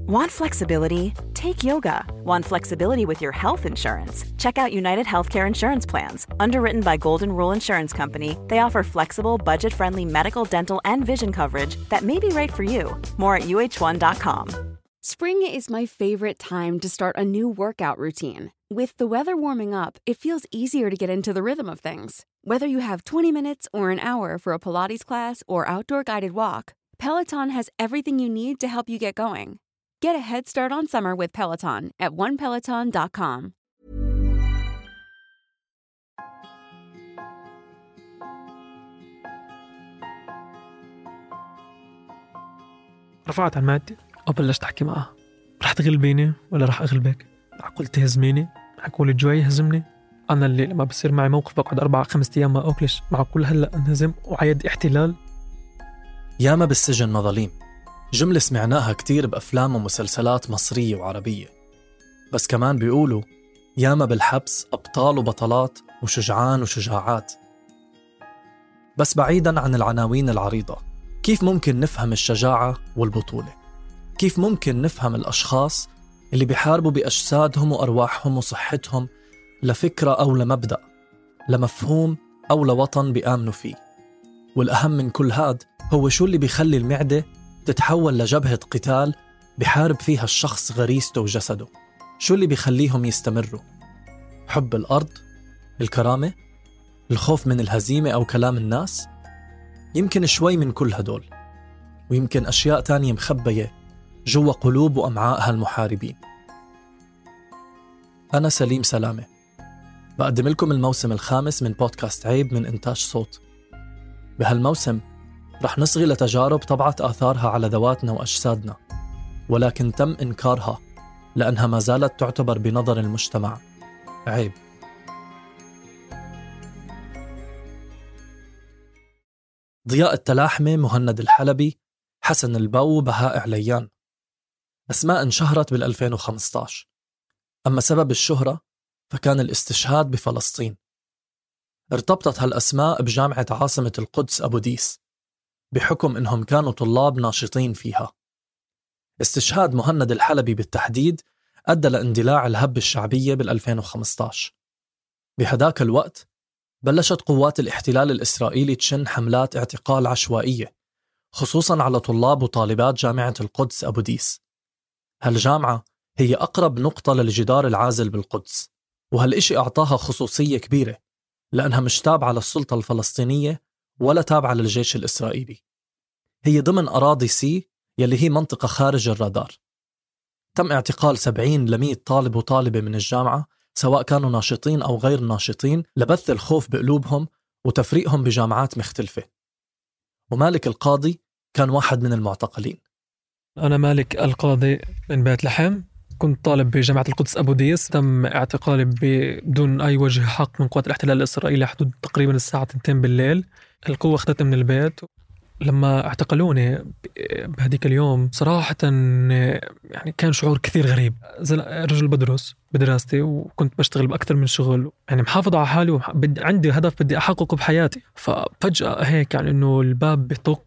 Want flexibility? Take yoga. Want flexibility with your health insurance? Check out United Healthcare Insurance Plans. Underwritten by Golden Rule Insurance Company, they offer flexible, budget-friendly medical, dental, and vision coverage that may be right for you. More at uh1.com. Spring is my favorite time to start a new workout routine. With the weather warming up, it feels easier to get into the rhythm of things. Whether you have 20 minutes or an hour for a Pilates class or outdoor guided walk, Peloton has everything you need to help you get going. Get a head start on summer with Peloton at onepeloton.com. رفعت عن مادتي وبلشت أحكي معها. رح تغلبيني ولا رح أغلبك؟ معقول تهزميني؟ معقول الجوع يهزمني؟ أنا اللي لما بصير معي موقف بقعد 4-5 أيام ما أكلش، معقول هلأ أنهزم وعيد احتلال؟ ياما بالسجن مظاليم، جملة سمعناها كتير بأفلام ومسلسلات مصرية وعربية. بس كمان بيقولوا ياما بالحبس أبطال وبطلات وشجعان وشجاعات. بس بعيداً عن العناوين العريضة، كيف ممكن نفهم الشجاعة والبطولة؟ كيف ممكن نفهم الأشخاص اللي بيحاربوا بأجسادهم وأرواحهم وصحتهم لفكرة أو لمبدأ، لمفهوم أو لوطن بيآمنوا فيه؟ والأهم من كل هاد هو شو اللي بيخلي المعدة تتحول لجبهة قتال بحارب فيها الشخص غريزته وجسده؟ شو اللي بيخليهم يستمروا؟ حب الأرض؟ الكرامة؟ الخوف من الهزيمة أو كلام الناس؟ يمكن شوي من كل هدول، ويمكن أشياء تانية مخبية جوا قلوب وأمعاء هالمحاربين. أنا سليم سلامة، بقدم لكم الموسم الخامس من بودكاست عيب من إنتاج صوت. بهالموسم رح نصغي لتجارب طبعت آثارها على ذواتنا وأجسادنا، ولكن تم إنكارها لأنها ما زالت تعتبر بنظر المجتمع عيب. ضياء التلاحمة، مهند الحلبي، حسن البو، بهاء عليان، أسماء انشهرت بال2015. أما سبب الشهرة فكان الاستشهاد بفلسطين. ارتبطت هالأسماء بجامعة عاصمة القدس أبو ديس بحكم إنهم كانوا طلاب ناشطين فيها. استشهاد مهند الحلبي بالتحديد أدى لاندلاع الهبة الشعبية بال2015. بهداك الوقت بلشت قوات الاحتلال الإسرائيلي تشن حملات اعتقال عشوائية، خصوصاً على طلاب وطالبات جامعة القدس أبو ديس. هالجامعة هي أقرب نقطة للجدار العازل بالقدس، وهالإشي أعطاها خصوصية كبيرة لأنها مش تابعة للسلطة الفلسطينية ولا تابعة للجيش الإسرائيلي. هي ضمن أراضي سي يلي هي منطقة خارج الرادار. تم اعتقال 70 ل100 طالب وطالبة من الجامعة، سواء كانوا ناشطين أو غير ناشطين، لبث الخوف بقلوبهم وتفريقهم بجامعات مختلفة. ومالك القاضي كان واحد من المعتقلين. أنا مالك القاضي من بيت لحم، كنت طالب بجامعة القدس أبو ديس. تم اعتقالي بدون أي وجه حق من قوات الاحتلال الإسرائيلي حدود تقريبا الساعة 2 بالليل. القوة أخذتني من البيت. لما اعتقلوني بهديك اليوم صراحة يعني كان شعور كثير غريب. رجل بدرس بدراستي وكنت بشتغل بأكثر من شغل، يعني محافظ على حالي وعندي هدف بدي أحققه بحياتي. ففجأة هيك يعني إنه الباب بيطق،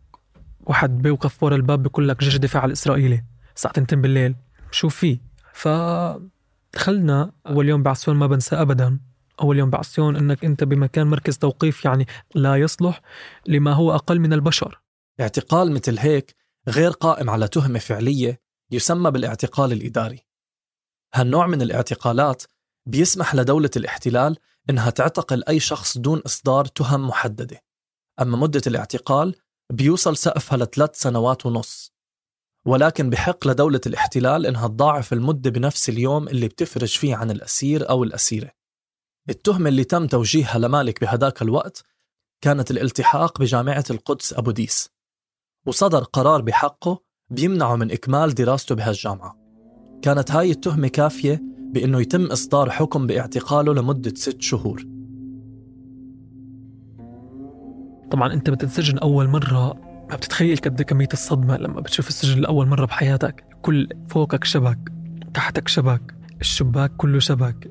واحد بيوقف ورا الباب بيقول لك جيش الدفاع الإسرائيلي الساعة 2 بالليل، شو فيه؟ فدخلنا. أول يوم بعسيون ما بنسى أبدا. أول يوم بعسيون إنك أنت بمكان مركز توقيف يعني لا يصلح لما هو أقل من البشر. اعتقال مثل هيك غير قائم على تهمة فعلية يسمى بالاعتقال الإداري. هالنوع من الاعتقالات بيسمح لدولة الاحتلال إنها تعتقل أي شخص دون إصدار تهم محددة، أما مدة الاعتقال بيوصل سقفها ل3 سنوات ونص. ولكن بحق لدولة الاحتلال إنها تضاعف المدة بنفس اليوم اللي بتفرج فيه عن الأسير أو الأسيرة. التهمة اللي تم توجيهها لمالك بهداك الوقت كانت الالتحاق بجامعة القدس أبو ديس، وصدر قرار بحقه بيمنعه من إكمال دراسته بهالجامعة. كانت هاي التهمة كافية بأنه يتم إصدار حكم باعتقاله لمدة 6 شهور. طبعا أنت بتنسجن أول مرة، ما بتتخيل قد كمية الصدمة لما بتشوف السجن لأول مرة بحياتك. كل فوقك شبك، تحتك شبك، الشباك كله شبك.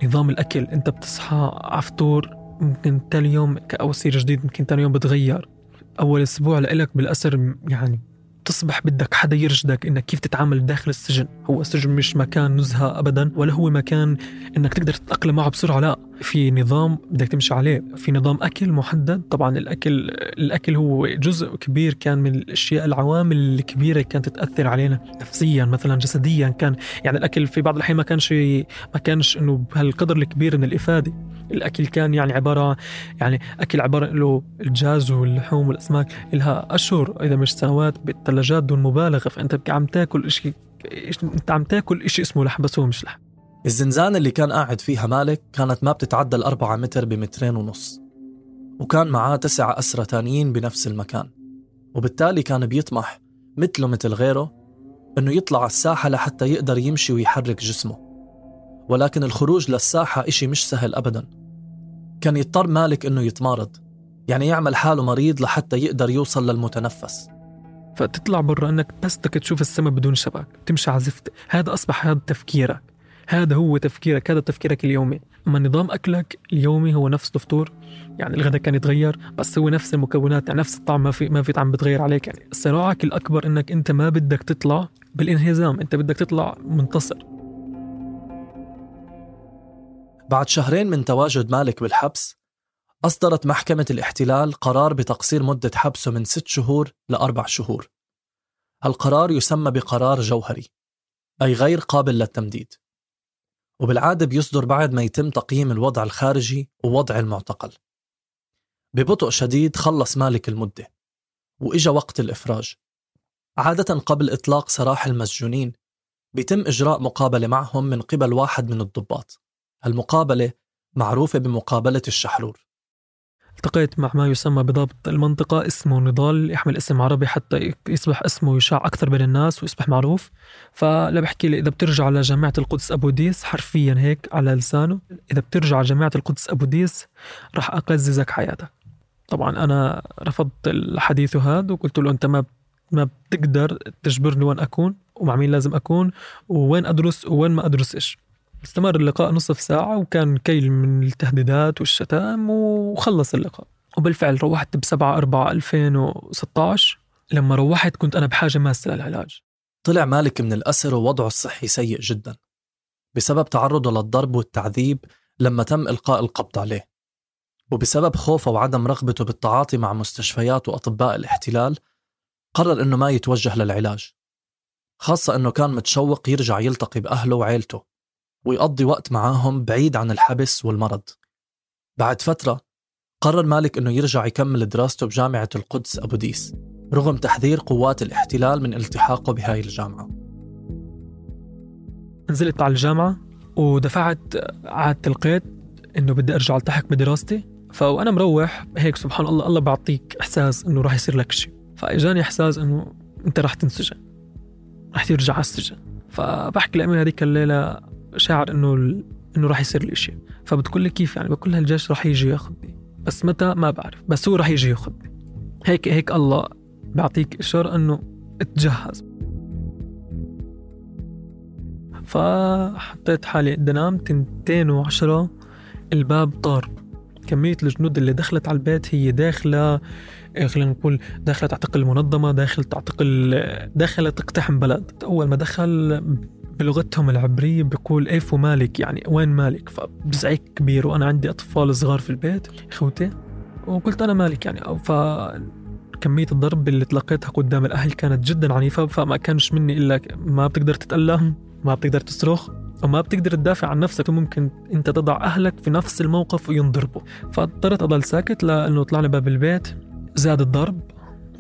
نظام الأكل، أنت بتصحى عفطور، ممكن تاني يوم كأوسير جديد، ممكن تاني يوم بتغير. أول أسبوع لإلك بالأسر يعني تصبح بدك حدا يرشدك إنك كيف تتعامل داخل السجن. هو السجن مش مكان نزهة أبدا، ولا هو مكان إنك تقدر تتأقلم معه بسرعة. لا، في نظام بدك تمشي عليه، في نظام أكل محدد. طبعا الأكل هو جزء كبير كان من الأشياء، العوامل الكبيرة كانت تأثر علينا نفسيا مثلا جسديا. كان يعني الأكل في بعض الأحيان ما كانش إنه بهالقدر الكبير من الإفادة. الأكل كان يعني أكل عبارة له الدجاج واللحوم والأسماك إلها أشهر إذا مش سنوات بالثلاجات دون مبالغة. فأنت عم تاكل إشي اسمه لحم، بس هو مش لحم. الزنزانة اللي كان قاعد فيها مالك كانت ما بتتعدى 4 متر ب2.5 متر، وكان معاه 9 أسرى تانيين بنفس المكان. وبالتالي كان بيطمح مثله مثل غيره أنه يطلع على الساحة لحتى يقدر يمشي ويحرك جسمه. ولكن الخروج للساحة إشي مش سهل أبدا. كان يضطر مالك أنه يتمارض، يعني يعمل حاله مريض لحتى يقدر يوصل للمتنفس. فتطلع برا أنك بس بدك تشوف السماء بدون شبك، تمشي عزفت. هذا أصبح هذا تفكيرك، هذا هو تفكيرك، هذا تفكيرك اليومي. أما نظام أكلك اليومي هو نفس الفطور، يعني الغداء كان يتغير بس هو نفس المكونات، يعني نفس الطعم، ما في طعم بتغير عليك. يعني صراعك الأكبر أنك أنت ما بدك تطلع بالانهزام، أنت بدك تطلع منتصر. بعد 2 شهر من تواجد مالك بالحبس، أصدرت محكمة الاحتلال قرار بتقصير مدة حبسه من 6 شهور ل4 شهور. هالقرار يسمى بقرار جوهري، أي غير قابل للتمديد، وبالعادة بيصدر بعد ما يتم تقييم الوضع الخارجي ووضع المعتقل. ببطء شديد خلص مالك المدة وإجا وقت الإفراج. عادة قبل إطلاق سراح المسجونين بيتم إجراء مقابلة معهم من قبل واحد من الضباط. هالمقابلة معروفة بمقابلة الشحرور. التقيت مع ما يسمى بضابط المنطقة، اسمه نضال، يحمل اسم عربي حتى يصبح اسمه يشاع أكثر بين الناس ويصبح معروف. فلا بحكي لي إذا بترجع على جامعة القدس أبو ديس، حرفيا هيك على لسانه، إذا بترجع على جامعة القدس أبو ديس رح أقززك حياتك. طبعا أنا رفضت الحديث هذا وقلت له أنت ما بتقدر تجبرني وين أكون ومع مين لازم أكون وين أدرس وين ما أدرسش. استمر اللقاء نصف ساعة وكان كيل من التهديدات والشتام وخلص اللقاء. وبالفعل روحت ب7/4/2016. لما روحت كنت أنا بحاجة ماسة للعلاج. طلع مالك من الأسر ووضعه الصحي سيء جدا بسبب تعرضه للضرب والتعذيب لما تم إلقاء القبض عليه، وبسبب خوفه وعدم رغبته بالتعاطي مع مستشفيات وأطباء الاحتلال قرر إنه ما يتوجه للعلاج، خاصة إنه كان متشوق يرجع يلتقي بأهله وعيلته ويقضي وقت معاهم بعيد عن الحبس والمرض. بعد فترة قرر مالك إنه يرجع يكمل دراسته بجامعة القدس أبو ديس رغم تحذير قوات الاحتلال من التحاقه بهاي الجامعة. نزلت على الجامعة ودفعت عادة القيد إنه بدي أرجع التحق بدراستي. فأنا مروح هيك سبحان الله، الله بعطيك إحساس إنه راح يصير لك شيء. فإجاني إحساس إنه أنت راح تنسجن، راح ترجع على السجن. فبحكي لأمي هذيك الليلة شاعر إنه راح يصير لي شيء. فبتقول لي كيف يعني؟ بقول لها الجيش راح يجي ياخذني، بس متى ما بعرف، بس هو راح يجي ياخذني. هيك الله بعطيك إشارة إنه اتجهز. فحطيت حالي قد نام 2:10 الباب طار. كمية الجنود اللي دخلت على البيت هي داخلة، خلينا نقول داخلة تعتقل منظمة، داخلة تقتحم بلد. أول ما دخل بلغتهم العبرية بيقول ايفو مالك، يعني وين مالك؟ فبزعيك كبير وأنا عندي أطفال صغار في البيت إخوتي، وقلت أنا مالك يعني. فكمية الضرب اللي تلقيتها قدام الأهل كانت جدا عنيفة. فما كانش مني إلا ما بتقدر تتألم، ما بتقدر تصرخ، وما بتقدر تدافع عن نفسك، وممكن أنت تضع أهلك في نفس الموقف وينضربوا. فاضطرت أضل ساكت لأنه طلعنا باب البيت، زاد الضرب.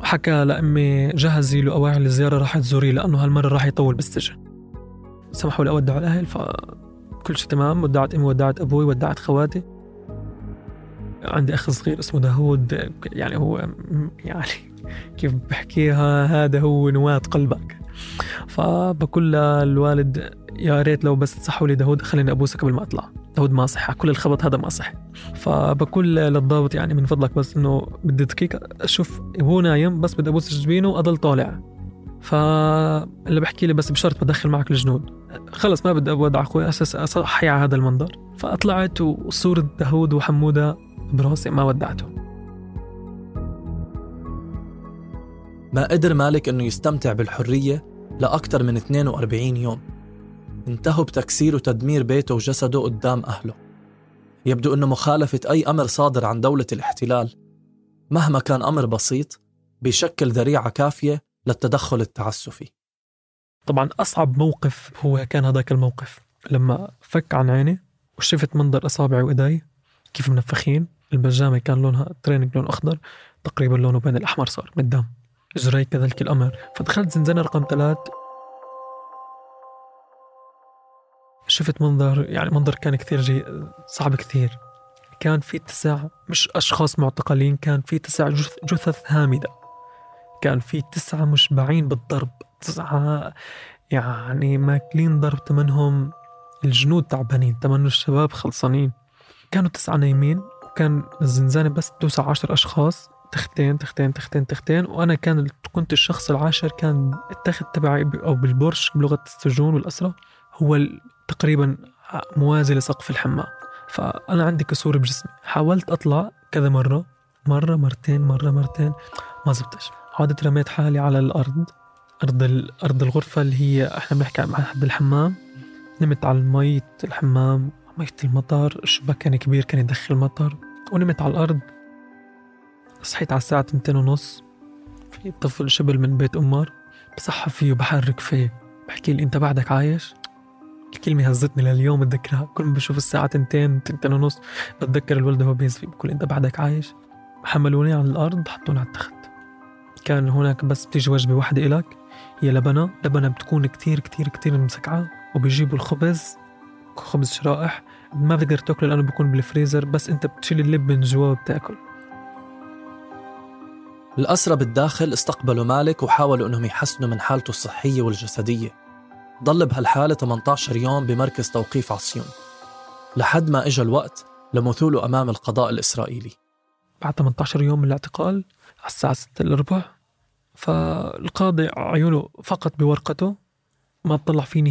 حكى لأمي جهزي له أواعي الزيارة راح تزوري لأنه هالمرة راح يطول بالسجن. سمحوا لي أودع الأهل، فكل شيء تمام. ودعت أمي، ودعت أبوي، ودعت خواتي. عندي أخ صغير اسمه داود، يعني هو يعني كيف بحكيها، هذا هو نواة قلبك. فبقول للوالد يا ريت لو بس تصحوا لي داود، خليني أبوسك قبل ما أطلع. داود ما صح، كل الخبط هذا ما صح. فبقول للضابط يعني من فضلك بس إنه بدي دقيقة أشوف هو نايم، بس بدي أبوس جبينه وأضل طالع. فاللي بحكي لي بس بشرط بدخل معك الجنود. خلص ما بدي أودع أخوي أساس أصحي على هذا المنظر. فأطلعت وصورة داود وحمودة براسي، ما ودعته. ما قدر مالك أنه يستمتع بالحرية لأكثر من 42 يوم. انتهوا بتكسير وتدمير بيته وجسده قدام أهله. يبدو أنه مخالفة أي أمر صادر عن دولة الاحتلال مهما كان أمر بسيط بيشكل ذريعة كافية للتدخل التعسفي. طبعا أصعب موقف هو كان هذاك الموقف لما فك عن عيني وشفت منظر أصابعي وإيدي كيف منفخين. البجامة كان لونها تريننج لون أخضر، تقريبا لونه بين الأحمر صار من الدم، إجري كذلك الأمر. فدخلت زنزانة رقم 3، شفت منظر كان كثير صعب كثير. كان في 9 مش أشخاص معتقلين، كان في 9 جثث هامدة، كان في 9 مشبعين بالضرب، 9 يعني ماكلين ضرب، تمنهم الجنود تعبانين، تمنوا الشباب خلصانين. كانوا 9 نايمين، وكان الزنزانة بس توسع 10 أشخاص، تختين، وأنا كنت الشخص العاشر. كان التخت تبعي أو بالبرش بلغة السجون والأسرة هو تقريبا موازي لسقف الحمام. فأنا عندي كسور بجسمي، حاولت أطلع كذا مرة مرتين ما زبطش. عادت رميت حالي على الأرض، أرض الغرفة اللي هي إحنا بنحكي عن حد الحمام. نمت على مية الحمام، مية المطر، الشباك كان كبير كان يدخل مطر، ونمت على الأرض. صحيت على الساعة 2:30، في طفل شبل من بيت أمار بصحى فيه وبحرك فيه، بحكي لي أنت بعدك عايش. الكلمة هزتني لليوم، بتذكرها كل ما بشوف الساعة 2:30 بتذكر الولد هو بيزفي بقول أنت بعدك عايش. حملوني على الأرض، حطوني على التخت. كان هناك بس بتيجي وجبة واحدة إلك، هي لبنة بتكون كتير مسكعة، وبيجيبوا الخبز شرائح ما بتقدر تاكله لأنه بيكون بالفريزر، بس أنت بتشيل اللب من جوا وبتاكل. الأسرى بالداخل استقبلوا مالك وحاولوا أنهم يحسنوا من حالته الصحية والجسدية. ضل بهالحالة 18 يوم بمركز توقيف عصيون لحد ما إجا الوقت لمثوله أمام القضاء الإسرائيلي. بعد 18 يوم من الاعتقال على الساعة 6:15، فالقاضي عيونه فقط بورقته، ما اطلع فيه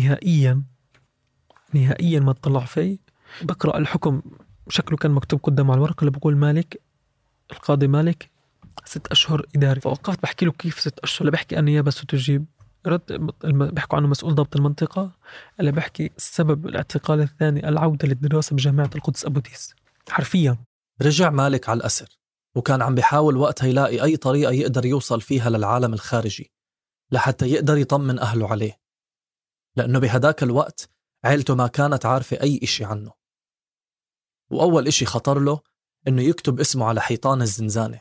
نهائيا ما اطلع فيه. بقرأ الحكم، شكله كان مكتوب قدام على الورقة اللي بقول مالك، القاضي مالك 6 أشهر إداري. فوقفت بحكي له كيف 6 أشهر؟ اللي بحكي أني بس تجيب رد، بحكوا عنه مسؤول ضبط المنطقة، اللي بحكي السبب الاعتقال الثاني العودة للدراسة بجامعة القدس أبو ديس. حرفيا رجع مالك على الأسر، وكان عم بيحاول وقتها يلاقي أي طريقة يقدر يوصل فيها للعالم الخارجي لحتى يقدر يطمن أهله عليه، لأنه بهداك الوقت عيلته ما كانت عارفة أي إشي عنه. وأول إشي خطر له إنه يكتب اسمه على حيطان الزنزانة،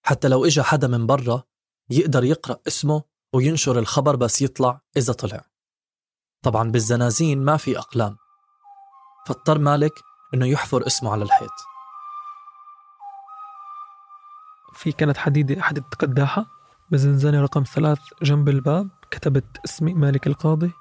حتى لو إجا حدا من برا يقدر يقرأ اسمه وينشر الخبر بس يطلع إذا طلع. طبعا بالزنازين ما في أقلام، فاضطر مالك إنه يحفر اسمه على الحيط. في كانت حديدة قداحة بزنزانة رقم 3 جنب الباب، كتبت اسمي مالك القاضي،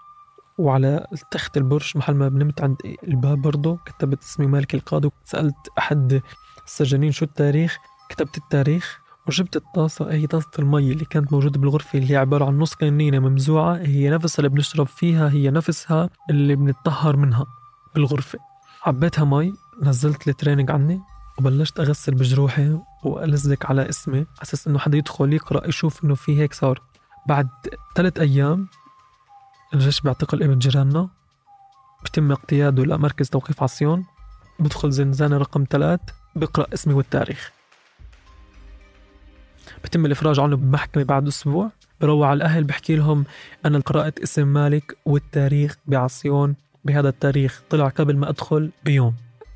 وعلى تخت البرج محل ما بنمت عند الباب برضو كتبت اسمي مالك القاضي. سألت أحد السجانين شو التاريخ، كتبت التاريخ، وجبت الطاسة، هي طاسة المي اللي كانت موجودة بالغرفة اللي هي عبارة عن نص كنينة ممزوعة، هي نفسها اللي بنشرب فيها، هي نفسها اللي بنتطهر منها بالغرفة. عبيتها مي، نزلت التريننج عني، وبلشت أغسل بجروحي وألزق على اسمي أساس إنه حدا يدخل يقرأ يشوف إنه في هيك صار. بعد 3 أيام الجيش بيعتقل ابن جيراننا، بتم اقتياده لمركز توقيف عصيون، بدخل زنزانة رقم 3 بقرأ اسمي والتاريخ، بتم الإفراج عنه بمحكمة بعد أسبوع. بروح على الأهل بحكي لهم أنا قرأت اسم مالك والتاريخ بعصيون بهذا التاريخ، طلع قبل ما أدخل بيوم.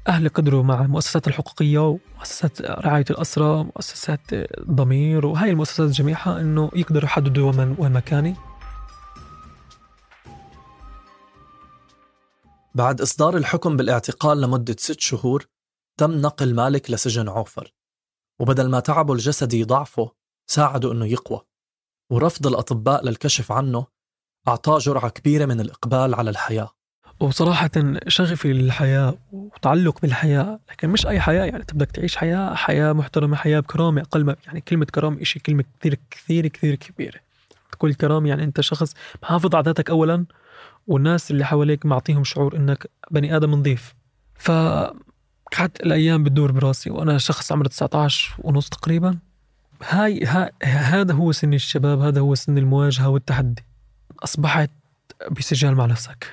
أهلي قدروا مع المؤسسات الحقوقية ومؤسسات رعاية الأسرى ومؤسسات ضمير وهاي المؤسسات جميعها إنه يقدروا يحددوا وين مكاني. بعد إصدار الحكم بالاعتقال لمدة 6 شهور تم نقل مالك لسجن عوفر، وبدل ما تعبه الجسدي يضعفه ساعده إنه يقوى، ورفض الأطباء للكشف عنه أعطاه جرعة كبيرة من الإقبال على الحياة. وصراحة شغفي للحياة وتعلق بالحياة، لكن مش أي حياة، يعني تبدأ تعيش حياة محترمة، حياة بكرامة. أقل ما يعني كلمة كرامة إشي كلمة كثير كثير كثير كبيرة. تقول كرامة يعني أنت شخص محافظ على ذاتك أولا، والناس اللي حواليك معطيهم شعور إنك بني آدم نظيف. فقعدت الأيام بتدور براسي وأنا شخص عمره 19 ونص تقريبا، هذا هو سن الشباب، هذا هو سن المواجهة والتحدي. أصبحت بسجال مع نفسك،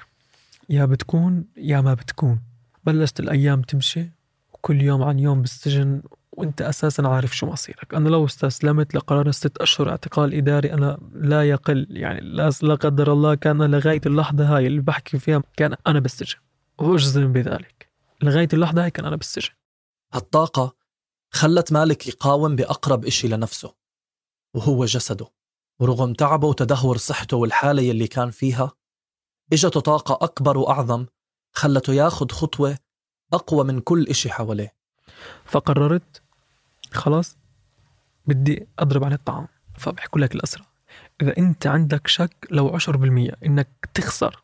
يا بتكون يا ما بتكون. بلشت الأيام تمشي وكل يوم عن يوم بالسجن وانت أساسا عارف شو مصيرك. أنا لو استسلمت لقرار 6 أشهر اعتقال إداري أنا لا يقل، يعني لا قدر الله كان لغاية اللحظة هاي اللي بحكي فيها كان أنا بالسجن، وأجزم بذلك لغاية اللحظة هاي كان أنا بالسجن. هالطاقة خلت مالك يقاوم بأقرب إشي لنفسه وهو جسده، ورغم تعبه وتدهور صحته والحالة يلي كان فيها إجته طاقة أكبر وأعظم خلته ياخد خطوة أقوى من كل إشي حواليه. فقررت خلاص بدي أضرب عن الطعام. فبحكوا لك الأسرى إذا أنت عندك شك لو 10% إنك تخسر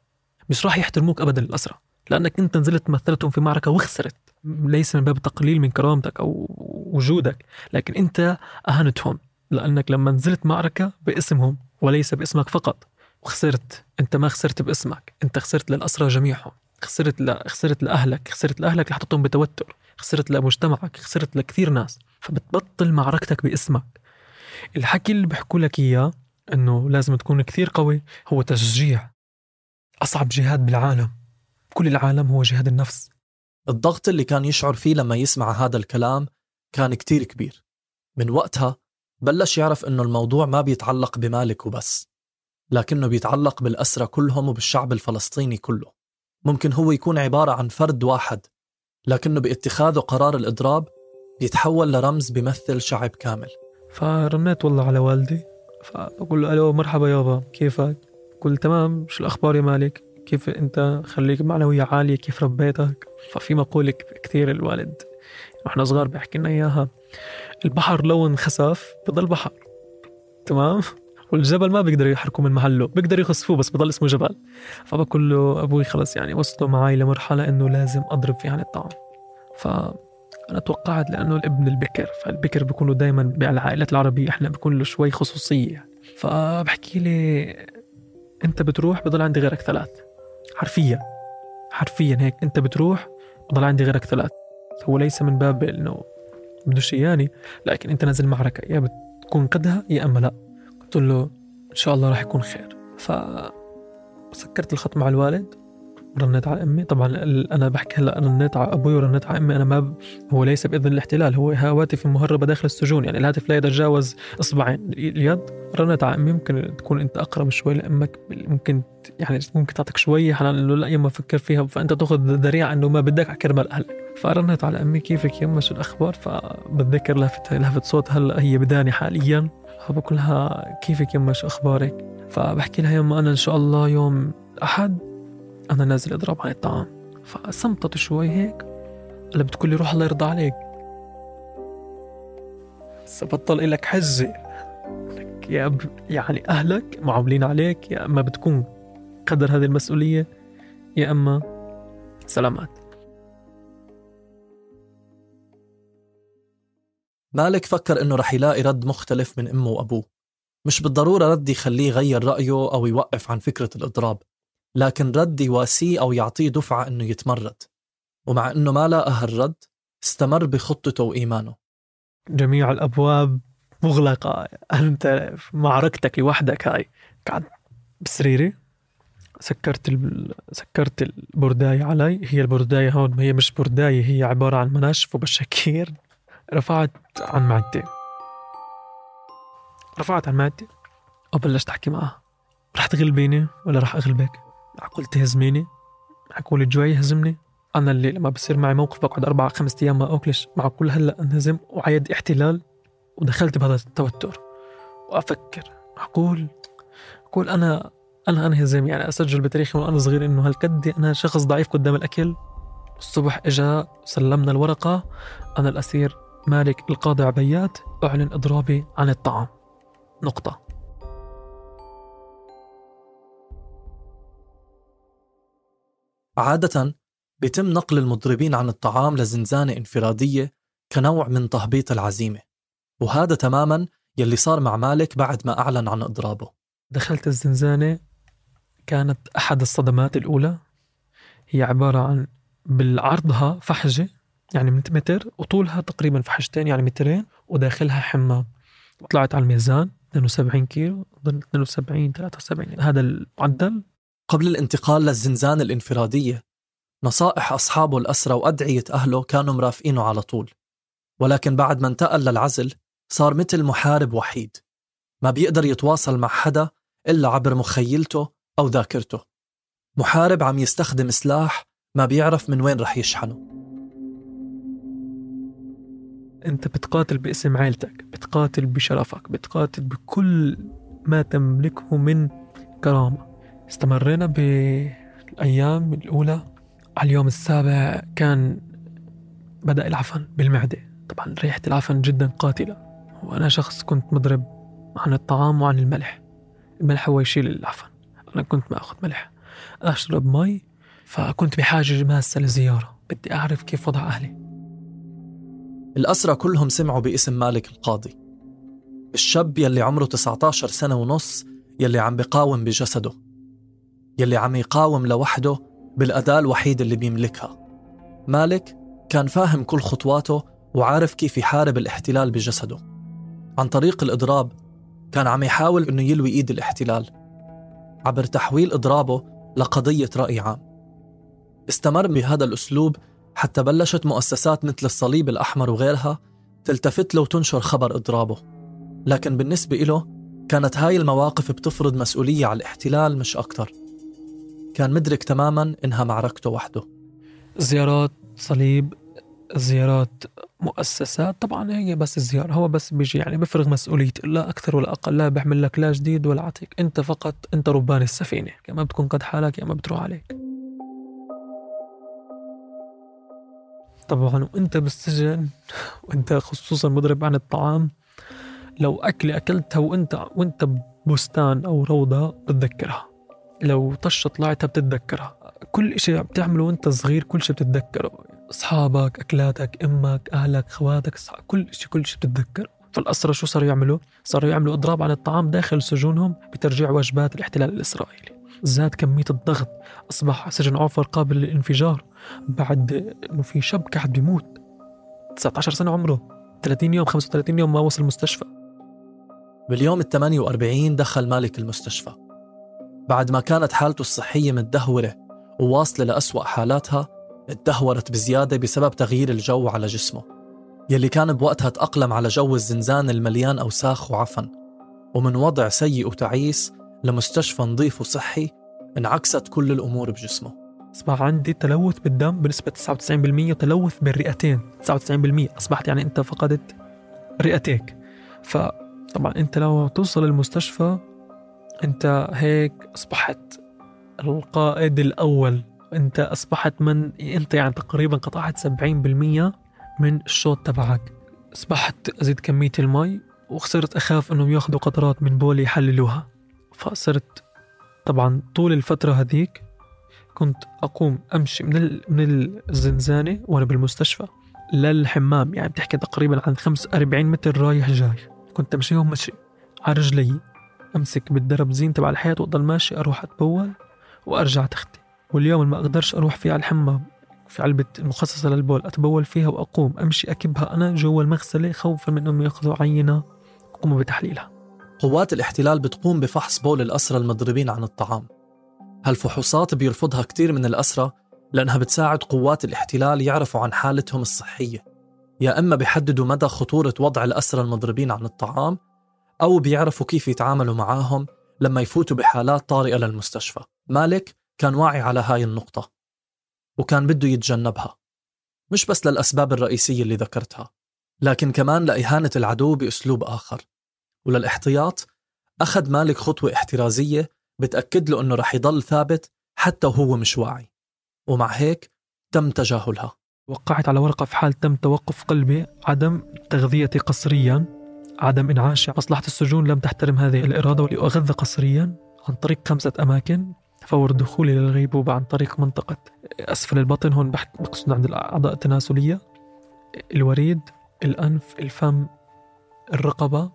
مش راح يحترموك أبدا الأسرى، لأنك أنت نزلت مثلتهم في معركة وخسرت، ليس من باب تقليل من كرامتك أو وجودك، لكن أنت أهنتهم لأنك لما نزلت معركة باسمهم وليس باسمك فقط وخسرت. أنت ما خسرت باسمك، أنت خسرت للأسرى جميعهم، خسرت لأهلك، خسرت لأهلك اللي حطتهم بتوتر، خسرت لمجتمعك، خسرت لكثير ناس. فبتبطل معركتك باسمك. الحكي اللي بحكوا لك إياه أنه لازم تكون كثير قوي هو تشجيع. أصعب جهاد بالعالم، كل العالم، هو جهاد النفس. الضغط اللي كان يشعر فيه لما يسمع هذا الكلام كان كتير كبير. من وقتها بلش يعرف أنه الموضوع ما بيتعلق بمالك وبس، لكنه بيتعلق بالأسرى كلهم وبالشعب الفلسطيني كله. ممكن هو يكون عبارة عن فرد واحد، لكنه باتخاذه قرار الإضراب بيتحول لرمز بيمثل شعب كامل. فرنيت والله على والدي، فبقول له ألو مرحبا يابا كيفك؟ قل تمام، شو الأخبار يا مالك؟ كيف أنت؟ خليك معنوية عالية، كيف ربيتك؟ ففي مقولة كثير الوالد وإحنا صغار بيحكي لنا إياها: البحر لو انخسف بضل بحر، تمام؟ والجبل ما بيقدر يحركه من محله، بيقدر يخسفوه بس بضل اسمه جبل. فبقول له أبوي خلص يعني وصلوا معي لمرحلة إنه لازم أضرب فيه عن الطعام. فأنا توقعت لأنه الابن البكر، فالبكر بيكونوا دايما بالعائلات العربية إحنا بيكون له شوي خصوصية. فبحكي لي أنت بتروح بضل عندي غيرك 3، حرفيا هيك، أنت بتروح بضل عندي غيرك 3. هو ليس من باب إنه بدوش إياني، لكن أنت نازل معركة يا بتكون قدها يا أما لا. قلت له إن شاء الله راح يكون خير. فسكرت الخط مع الوالد ورنيت على أمي. طبعا أنا بحكي هلا أنا رنيت على أبوي ورنيت على أمي، أنا هو ليس بإذن الاحتلال، هو هواتف مهربة داخل السجون، يعني الهاتف لا يتجاوز إصبعين اليد. رنيت على أمي، ممكن تكون أنت أقرب شوي لأمك، ممكن تعطيك شوية حنان. لا يما فكر فيها، فأنت تأخذ ذريعة أنه ما بدك على كرمال أهلك. فرنيت على أمي كيفك يما، شو الأخبار؟ فبتذكر لهفت صوت هلا هي بداني حاليا، فبقولها كيفك يما شو أخبارك؟ فبحكي لها يما أنا إن شاء الله يوم أحد أنا نازل أضرب عن الطعام. فصمتت شوي هيك، قال بتقول لي روح الله يرضى عليك، سبطل إلك حجة يعني أهلك معاملين عليك، يا أما بتكون قدر هذه المسؤولية يا أما سلامات. مالك فكر إنه رح يلاقي رد مختلف من أمه وأبوه، مش بالضرورة رد يخليه يغير رأيه أو يوقف عن فكرة الإضراب، لكن رد يواسيه أو يعطيه دفعة إنه يتمرد. ومع إنه ما لاقى هالرد استمر بخطته وإيمانه. جميع الأبواب مغلقة، أنت في معركتك لوحدك. هاي قعد بسريري، سكرت البرداية علي. هي البرداية هون هي مش برداية، هي عبارة عن مناشف وبشاكير. رفعت عن معدتي وبلشت أحكي معها: رح تغلبيني ولا رح أغلبك؟ معقول تهزميني؟ معقول الجوع يهزمني؟ أنا اللي لما بصير معي موقف بقعد 4-5 أيام ما أكلش، معقول هلأ أنهزم وعيد احتلال؟ ودخلت بهذا التوتر وأفكر معقول أنا أنهزم؟ يعني أسجل بتاريخي وأنا صغير إنه هالقد أنا شخص ضعيف قدام الأكل. الصبح إجا سلمنا الورقة: أنا الأسير مالك القاضي عبيات أعلن إضرابي عن الطعام، نقطة. عادة بيتم نقل المضربين عن الطعام لزنزانة انفرادية كنوع من تهبيط العزيمة، وهذا تماما يلي صار مع مالك بعد ما أعلن عن إضرابه. دخلت الزنزانة، كانت أحد الصدمات الأولى. هي عبارة عن بالعرضها فحجة يعني من متر، وطولها تقريبا فحجتين يعني 2 متر، وداخلها حمام. طلعت على الميزان 72 كيلو، ضل 72 73 هذا المعدل. قبل الانتقال للزنزانة الانفرادية نصائح أصحابه الأسرى وأدعية أهله كانوا مرافقينه على طول، ولكن بعد ما انتقل للعزل صار مثل محارب وحيد، ما بيقدر يتواصل مع حدا إلا عبر مخيلته أو ذاكرته. محارب عم يستخدم سلاح ما بيعرف من وين رح يشحنه. أنت بتقاتل باسم عائلتك، بتقاتل بشرفك، بتقاتل بكل ما تملكه من كرامة. استمرينا بالأيام الأولى. على اليوم السابع كان بدأ العفن بالمعدة. طبعا ريحة العفن جدا قاتلة، وأنا شخص كنت مضرب عن الطعام وعن الملح. الملح هو يشيل العفن، أنا كنت ما أخذ ملح، أشرب مي. فكنت بحاجة ماسة لزيارة، بدي أعرف كيف وضع أهلي. الأسرى كلهم سمعوا باسم مالك القاضي، الشاب يلي عمره 19 سنة ونص، يلي عم بيقاوم بجسده، يلي عم يقاوم لوحده بالأداة الوحيدة اللي بيملكها. مالك كان فاهم كل خطواته وعارف كيف يحارب الاحتلال بجسده. عن طريق الإضراب كان عم يحاول إنه يلوي إيد الاحتلال عبر تحويل إضرابه لقضية رأي عام. استمر بهذا الأسلوب حتى بلشت مؤسسات مثل الصليب الأحمر وغيرها تلتفت له وتنشر خبر إضرابه. لكن بالنسبة له كانت هاي المواقف بتفرض مسؤولية على الاحتلال مش أكتر. كان مدرك تماماً إنها معركته وحده. زيارات صليب، زيارات مؤسسات، طبعا هي بس الزيارة، هو بس بيجي يعني بفرغ مسؤوليته، لا أكثر ولا أقل، لا بيعمل لك لا جديد ولا عتيق، أنت فقط أنت ربان السفينة، يا ما بتكون قد حالك يا ما بتروح عليك. طبعا وأنت بالسجن وأنت خصوصا مضرب عن الطعام، لو أكلة أكلتها وأنت ببستان أو روضة بتتذكرها، لو طشة طلعتها بتتذكرها، كل إشي بتعمله وأنت صغير كل شيء بتتذكره، أصحابك، أكلاتك، أمك، أهلك، خواتك، كل شيء بتتذكر. فالأسرى شو صاروا يعملوا؟ صاروا يعملوا إضراب عن الطعام داخل سجونهم بترجيع وجبات الاحتلال الإسرائيلي. زاد كمية الضغط، أصبح سجن عوفر قابل للانفجار بعد إنه في شاب قاعد بيموت 19 سنة عمره، 30 يوم 35 يوم ما وصل المستشفى. باليوم 48 دخل مالك المستشفى بعد ما كانت حالته الصحية متدهورة وواصلة لأسوأ حالاتها. اتدهورت بزيادة بسبب تغيير الجو على جسمه يلي كان بوقتها تأقلم على جو الزنزان المليان أوساخ وعفن، ومن وضع سيء وتعيس لمستشفى نظيف وصحي انعكست كل الأمور بجسمه. أصبح عندي تلوث بالدم بنسبة 99% وتلوث بالرئتين 99%. أصبحت يعني أنت فقدت رئتيك. فطبعا أنت لو توصل المستشفى أنت هيك أصبحت القائد الأول، أنت أصبحت أنت يعني تقريبا قطعت 70% من الشوط تبعك. أصبحت أزيد كمية المي وخسرت أخاف أنهم يأخذوا قطرات من بولي يحللوها. فصرت طبعا طول الفترة هذيك كنت أقوم أمشي من الزنزانة وأنا بالمستشفى للحمام، يعني بتحكي تقريبا عن 45 متر رايح جاي. كنت أمشيهم مشي على رجلي، أمسك بالدرب زين تبع الحياة وأضل ماشي، أروح أتبول وأرجع تختي. واليوم ما أقدرش أروح فيه على الحمام، في علبة مخصصة للبول أتبول فيها وأقوم أمشي أكبها أنا جوا المغسلة خوفا من أنهم يأخذوا عينة وقوموا بتحليلها. قوات الاحتلال بتقوم بفحص بول الأسرى المضربين عن الطعام. هالفحوصات بيرفضها كتير من الأسرى لأنها بتساعد قوات الاحتلال يعرفوا عن حالتهم الصحية، يا إما بيحددوا مدى خطورة وضع الأسرى المضربين عن الطعام، أو بيعرفوا كيف يتعاملوا معاهم لما يفوتوا بحالات طارئة للمستشفى. مالك كان واعي على هاي النقطة وكان بده يتجنبها، مش بس للأسباب الرئيسية اللي ذكرتها، لكن كمان لإهانة العدو بأسلوب آخر. وللاحتياط أخذ مالك خطوة احترازية بتأكد له أنه رح يضل ثابت حتى وهو مش واعي، ومع هيك تم تجاهلها. وقعت على ورقة في حال تم توقف قلبي، عدم تغذيتي قسريا، عدم إنعاش مصلحة السجون لم تحترم هذه الإرادة، ولأغذى قسريا عن طريق 5 أماكن. فور دخولي للغيبوبة عن طريق منطقة أسفل البطن، هون بقصد عند الأعضاء التناسلية، الوريد، الأنف، الفم، الرقبة،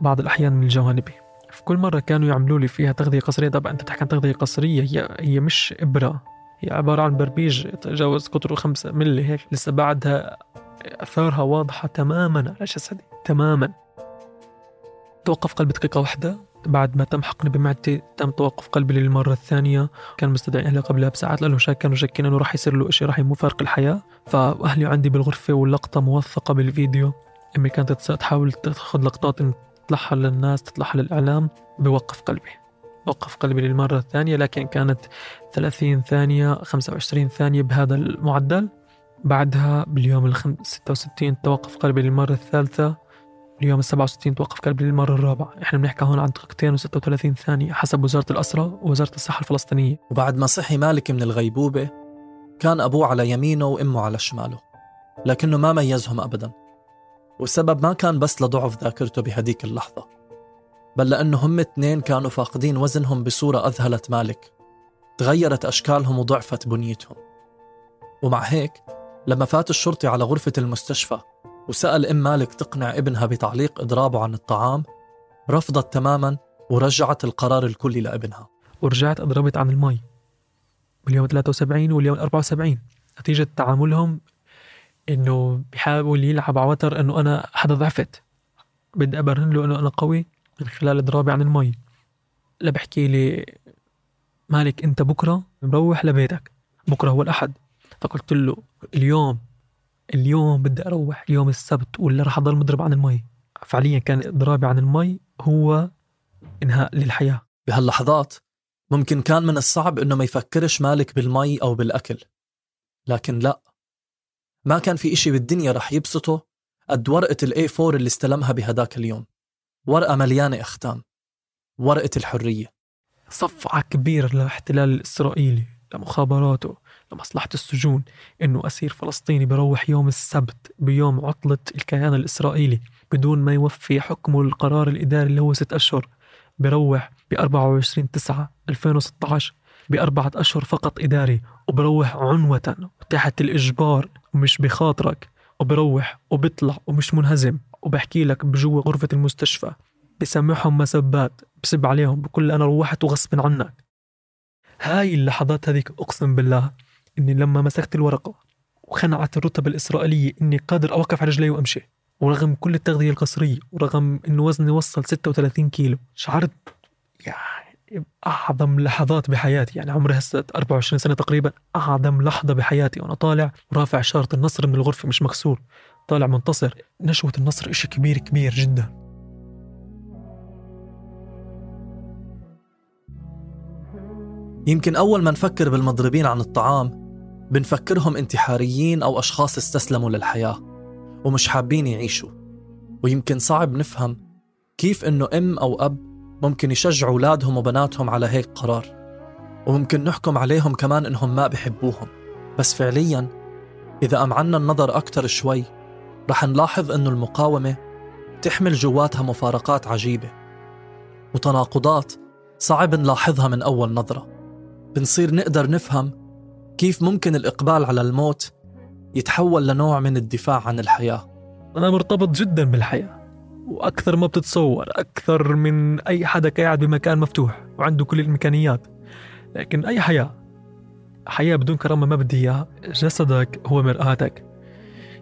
بعض الأحيان من الجوانبي. في كل مرة كانوا يعملوا لي فيها تغذية قسرية. طبعا أنت بتحكي عن تغذية قسرية، هي مش إبرة، هي عبارة عن بربيج تجاوز قطره 5 ملي هيك، لسه بعدها أثارها واضحة تماما على جسدي تماما. توقف قلبي دقيقة واحدة. بعد ما تم حقني بمعدتي تم توقف قلبي للمرة الثانية. كان مستدعي أهلي قبلها بساعات لأنه كانوا شاكين أنه راح يصير له إشي راح يفارق الحياة. فأهلي عندي بالغرفة واللقطة موثقة بالفيديو. أمي كانت تحاول تأخذ لقطات إن تطلعها للناس تطلعها للإعلام. بوقف قلبي. وقف قلبي للمرة الثانية لكن كانت 30 ثانية 25 ثانية بهذا المعدل. بعدها باليوم 66 توقف قلبي للمرة الثالثة. اليوم 67 توقف قلبي للمرة الرابعة. إحنا بنحكي هون عن دقيقتين و36 ثانية حسب وزارة الأسرة ووزارة الصحة الفلسطينية. وبعد ما صحي مالك من الغيبوبة كان أبوه على يمينه وأمه على شماله، لكنه ما ميزهم أبدا. والسبب ما كان بس لضعف ذاكرته بهديك اللحظة، بل لأنه هم اثنين كانوا فاقدين وزنهم بصورة أذهلت مالك. تغيرت أشكالهم وضعفت بنيتهم. ومع هيك لما فات الشرطي على غرفة المستشفى وسأل أم مالك تقنع ابنها بتعليق إضرابه عن الطعام، رفضت تماما ورجعت القرار الكلي لابنها. ورجعت أضربت عن المي باليوم 73 واليوم 74 نتيجة تعاملهم إنه بيحاول يلعب على وتر إنه أنا حدا ضعفت، بدي أبرهن له إنه أنا قوي من خلال إضرابي عن المي. لا بحكي لي مالك أنت بكرة مروح لبيتك، بكرة هو الأحد. فقلت له اليوم بدي أروح يوم السبت ولا رح أضل مضرب عن المي. فعليا كان إضرابي عن المي هو إنهاء للحياة. بهاللحظات ممكن كان من الصعب إنه ما يفكرش مالك بالمي أو بالأكل، لكن لا، ما كان في إشي بالدنيا رح يبسطه قد ورقة الA4 اللي استلمها بهداك اليوم. ورقة مليانة أختام، ورقة الحرية. صفعة كبيرة للاحتلال الإسرائيلي، لمخابراته، لمصلحة السجون، إنه أسير فلسطيني بروح يوم السبت بيوم عطلة الكيان الإسرائيلي بدون ما يوفي حكمه القرار الإداري اللي هو 6 أشهر. بروح ب24/9/2016 ب4 أشهر فقط إداري، وبروح عنوة وتحت الإجبار ومش بخاطرك، وبروح وبطلع ومش منهزم. وبحكي لك بجوا غرفة المستشفى بسمعهم مسبات، بسب عليهم، بكل أنا روحت وغصب عنك. هاي اللحظات هذيك أقسم بالله إني لما مسكت الورقة وخنعت الرتب الإسرائيلية إني قادر أوقف على رجلي وأمشي، ورغم كل التغذية القسرية ورغم إنه وزني وصل 36 كيلو، شعرت يعني أعظم لحظات بحياتي. يعني عمري هسه 24 سنة تقريبا، أعظم لحظة بحياتي وأنا طالع ورافع شارة النصر من الغرفة مش مكسور، طالع منتصر. نشوة النصر إشي كبير كبير جدا. يمكن أول ما نفكر بالمضربين عن الطعام بنفكرهم انتحاريين أو أشخاص استسلموا للحياة ومش حابين يعيشوا. ويمكن صعب نفهم كيف إنه أم أو أب ممكن يشجعوا أولادهم وبناتهم على هيك قرار، وممكن نحكم عليهم كمان إنهم ما بيحبوهم. بس فعلياً إذا أمعنا النظر أكتر شوي رح نلاحظ إنه المقاومة تحمل جواتها مفارقات عجيبة وتناقضات صعب نلاحظها من أول نظرة. بنصير نقدر نفهم كيف ممكن الإقبال على الموت يتحول لنوع من الدفاع عن الحياة. أنا مرتبط جدا بالحياة وأكثر ما بتتصور، أكثر من أي حدا قاعد بمكان مفتوح وعنده كل الإمكانيات. لكن أي حياة بدون كرامة ما بدي إياها. جسدك هو مرآتك،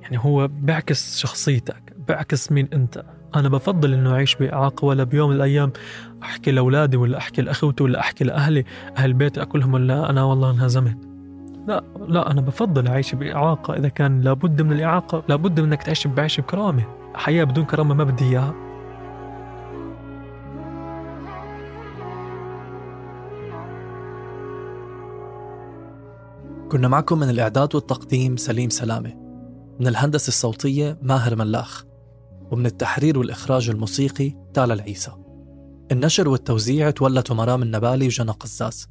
يعني هو بيعكس شخصيتك، بيعكس مين أنت. أنا بفضل إنه أعيش بإعاقة، ولا بيوم من الأيام أحكي لأولادي ولا أحكي لأخوتي ولا أحكي لأهلي أهل بيتي أكلهم ولا أنا والله انهزمت. لا أنا بفضل أعيش بإعاقة. إذا كان لابد من الإعاقة لابد من إنك تعيش بعيش بكرامة. حياة بدون كرامة ما بدي إياها. كنا معكم من الإعداد والتقديم سليم سلامة، من الهندسة الصوتية ماهر ملاخ، ومن التحرير والإخراج الموسيقي تالا العيسى. النشر والتوزيع تولته مرام النبالي وجنى قزاز،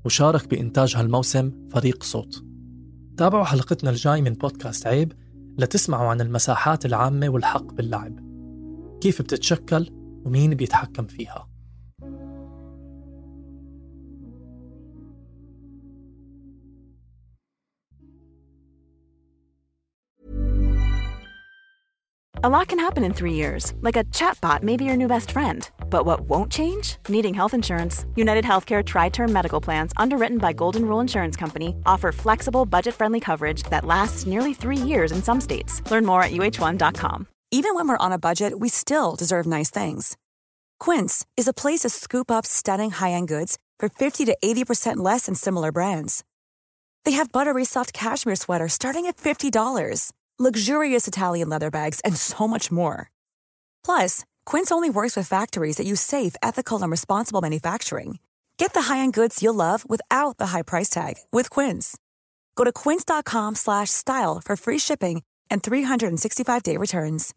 وشارك بإنتاج هالموسم فريق صوت. تابعوا حلقتنا الجاي من بودكاست عيب لتسمعوا عن المساحات العامة والحق باللعب، كيف بتتشكل ومين بيتحكم فيها. A lot can happen in 3 years, like a chatbot may be your new best friend. But what won't change? Needing health insurance. United Healthcare Tri-Term Medical Plans, underwritten by Golden Rule Insurance Company, offer flexible, budget-friendly coverage that lasts nearly 3 years in some states. Learn more at uh1.com. Even when we're on a budget, we still deserve nice things. Quince is a place to scoop up stunning high-end goods for 50 to 80% less than similar brands. They have buttery soft cashmere sweaters starting at $50, luxurious Italian leather bags, and so much more. Plus, Quince only works with factories that use safe, ethical, and responsible manufacturing. Get the high-end goods you'll love without the high price tag with Quince. Go to quince.com/style for free shipping and 365-day returns.